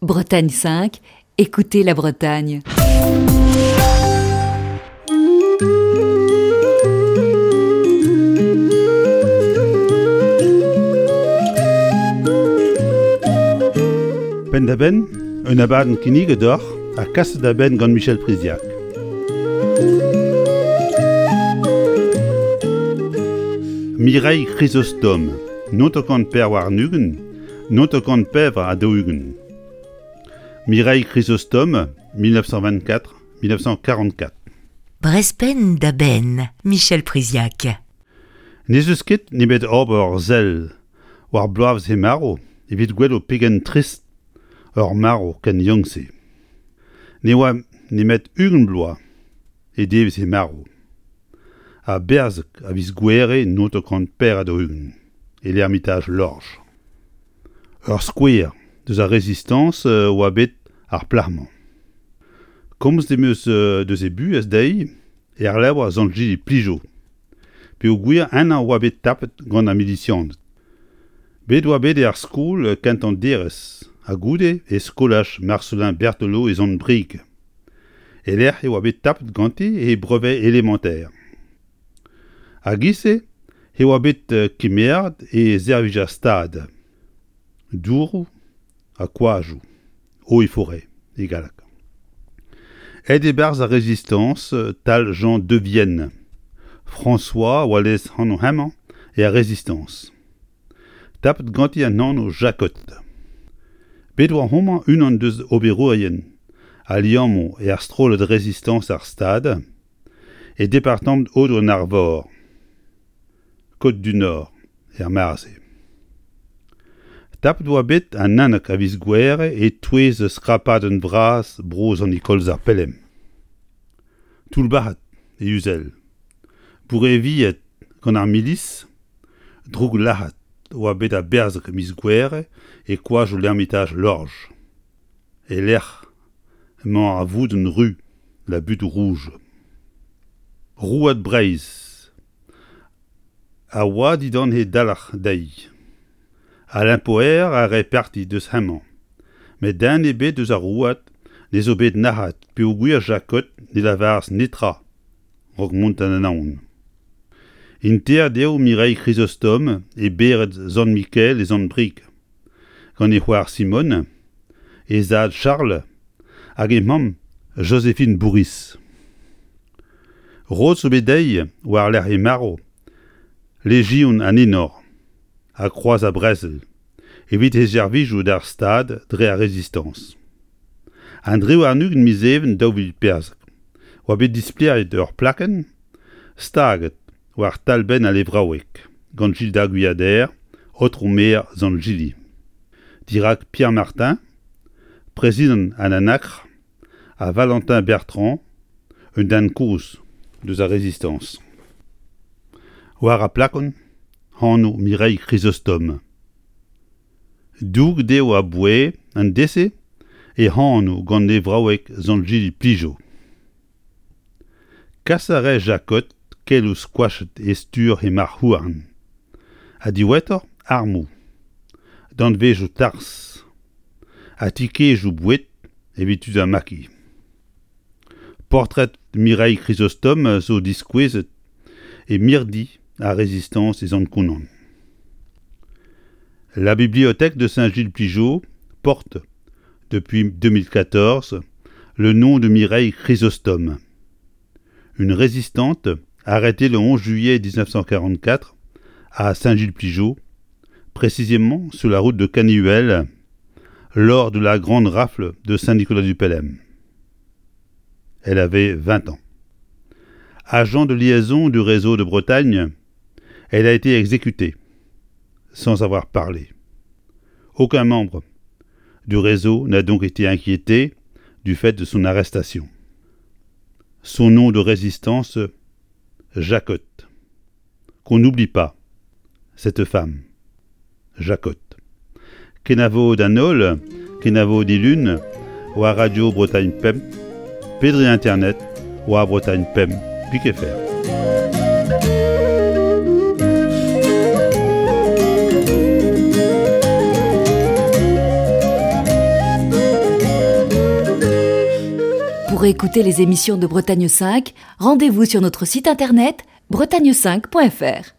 Bretagne 5, écoutez la Bretagne. Penn-da-benn, un abadenn kinniget deoc'h ha kaset da benn gant Michel Priziac. Mireille Chrysostome, 924, 944. Mireille Chrysostome, 1924-1944. Brezh penn da benn, Michel Priziac. N'ez eus ket nemet ober ur sell war bloavezh he marv evit gwelout pegen trist ur marv ken yaouank-se. Ne oa nemet 20 bloaz e devezh he marv. Ha berzhek a viz Gouhere 1944 e l'Ermitage Lorge. Ur skouer deus ar Rezistañs oa bet ar plac'h-mañ. Komzet em eus deus he buhez dezhi er levr Sant-Jili Plijo peogwir ennañ oa bet tapet gant ar milisianed. Bet oa bet er skol kentañ derez ha goude e skolaj Marcelin Berthelot e Sant-Brieg e-lec'h e oa bet tapet ganti he brevet élémentaire. A-giz-se e oa bet kemeret e servij ar Stad, douroù ha koajoù, eaux et forêts e galleg. Aet e-barzh ar Rezistañs 'tal Jean Devienne. François oa lez-anv hemañ er Rezistañs. Tapet ganti an anv Jacot. Bet oa homañ unan deus oberourien al liammoù er strollad Rezistañs ar Stad, E departamant Aodoù-an-Arvor, Côtes-du-Nord, er mare-se. Tapet oa bet an 11 a viz Gouhere e-touez skrapadenn vras bro Sant-Nikolaz-ar-Pelem. Toullbac'het e Uzel, boureviet gant ar milis, drouglac'het oa bet a-berzh miz Gouhere e koajoù l'Ermitage Lorge. E-lec'h emañ ar voudenn ru, la butte rouge. Rouad Breizh a oa dindan he dalc'h dezhi. Alain Poher a rae parti deus hemañ, met den ebet eus ar rouad ne zo bet nac'het peogwir Jacot ne lavaras netra 'raok mont d'an Anaon. Interet eo Mireille Chrysostome e bered Sant-Mikael e Sant-Brieg. gant e c'hoar Simone, he zad Charles hag he mamm Joséphine Bourhis. Roet zo bet dezhi war-lerc'h he marv Lejion an Enor ha Kroaz ar Brezel evit he servijoù d'ar Stad dre ar Rezistañs. An 23 miz Even 2014 oa bet displeriet ur plakenn staget war talbenn al levraoueg gant Gilda Gwiader, aotrou maer Sant-Jili. Dirak Pierre Martin, prezidant an Anakr, ha Valentin Bertrand, un den kozh deus ar Rezistañs. War ar plakon, anv Mireille Chrysostome. Douget eo aboae an deiz-se e anv gant levraoueg Sant-Jili Plijo. Kas a rae Jacot keloù skoachet e stur he marc'h-houarn, ha diwezhatoc'h armoù, danvezioù tarzh ha tikejoù boued evit tud ar maquis. Poltred Mireille Chrysostome zo diskouezet e mirdi ar Rezistañs e Sant-Konan. La bibliothèque de Saint-Gilles-Pligeaux porte depuis 2014 le nom de Mireille Chrysostome, une résistante arrêtée le 11 juillet 1944 à Saint-Gilles-Pligeaux, précisément sur la route de Canihuel, lors de la grande rafle de Saint-Nicolas-du-Pelem. Elle avait 20 ans. Agent de liaison du réseau de Bretagne, elle a été exécutée, sans avoir parlé. Aucun membre du réseau n'a donc été inquiété du fait de son arrestation. Son nom de résistance, Jacotte. Qu'on n'oublie pas cette femme, Jacotte. Kenavo d'an holl, kenavo dilun, war Radio Bretagne Pemp, pe dre internet war Bretagne Pemp pik fr. Pour écouter les émissions de Bretagne 5, rendez-vous sur notre site internet bretagne5.fr.